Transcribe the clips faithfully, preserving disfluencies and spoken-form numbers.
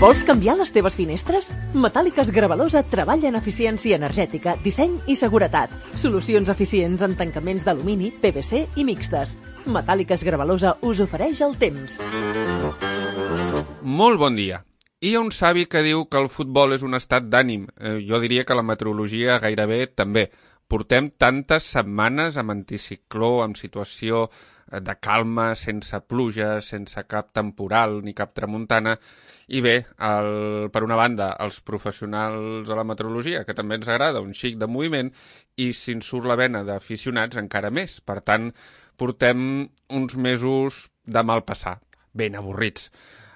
Vols canviar les teves finestres? Metàl·liques Gravalosa treballa en eficiència energètica, disseny i seguretat. Solucions eficients en tancaments d'alumini, P V C i mixtes. Metàl·liques Gravalosa us ofereix el temps. Molt bon dia. Hi ha un savi que diu que el futbol és un estat d'ànim. Eh, jo diria que la meteorologia gairebé també. Portem tantes setmanes amb anticicló, amb situació de calma, sense pluja, sense cap temporal ni cap tramuntana. I bé, el, per una banda, els professionals de la meteorologia, que també ens agrada, un xic de moviment, i si ens surt la vena d'aficionats, encara més. Per tant, portem uns mesos de mal passar, ben avorrits.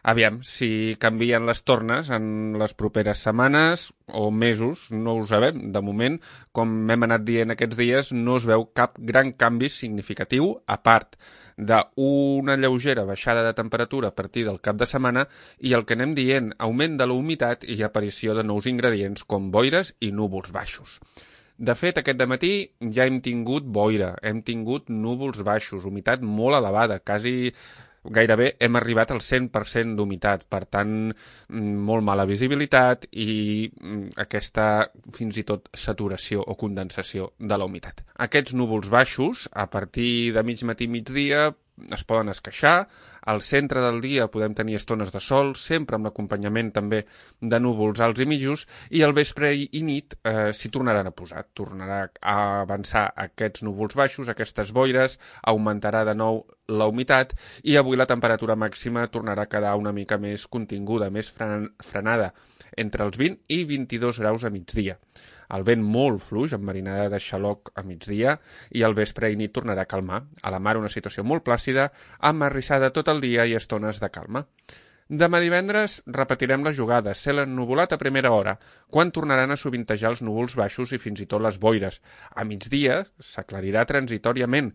Aviam, si canvien les tornes en les properes setmanes o mesos, no ho sabem. De moment, com hem anat dient aquests dies, no es veu cap gran canvi significatiu, a part d'una lleugera baixada de temperatura a partir del cap de setmana i el que anem dient, augment de la humitat i aparició de nous ingredients com boires i núvols baixos. De fet, aquest dematí ja hem tingut boira, hem tingut núvols baixos, humitat molt elevada, quasi gairebé hem arribat al cent per cent d'humitat, per tant, molt mala visibilitat i aquesta fins i tot saturació o condensació de la humitat. Aquests núvols baixos, a partir de mig matí i migdia, es poden esqueixar. Al centre del dia podem tenir estones de sol, sempre amb l'acompanyament també de núvols alts i mitjos, i al vespre i nit eh, s'hi tornaran a posar. Tornarà a avançar aquests núvols baixos, aquestes boires, augmentarà de nou la humitat i avui la temperatura màxima tornarà a quedar una mica més continguda, més fren frenada, entre els vint i vint-i-dos graus a migdia. El vent molt fluix, amb marinada de xaloc a migdia, i al vespre i nit tornarà a calmar. A la mar una situació molt plàcida, amb arrissada tot el dia i estones de calma. Demà divendres repetirem la jugada, cel ennuvolat a primera hora, quan tornaran a sovintejar els núvols baixos i fins i tot les boires. A migdia s'aclarirà transitòriament,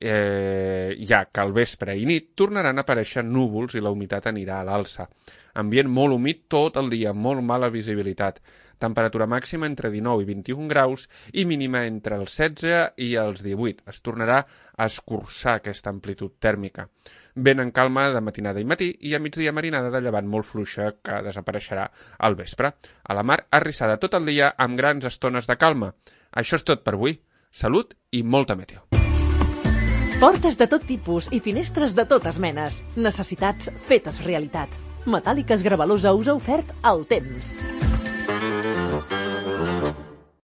eh, ja que al vespre i nit tornaran a aparèixer núvols i la humitat anirà a l'alça. Ambient molt humit tot el dia, molt mala visibilitat. Temperatura màxima entre dinou i vint-i-un graus i mínima entre els setze i els divuit. Es tornarà a escurçar aquesta amplitud tèrmica. Vent en calma de matinada i matí i a migdia marinada de llevant molt fluixa que desapareixerà al vespre. A la mar arrissada tot el dia amb grans estones de calma. Això és tot per avui. Salut i molta meteo. Portes de tot tipus i finestres de totes menes. Necessitats fetes realitat. Metàl·liques Gravalosa us ha ofert el temps.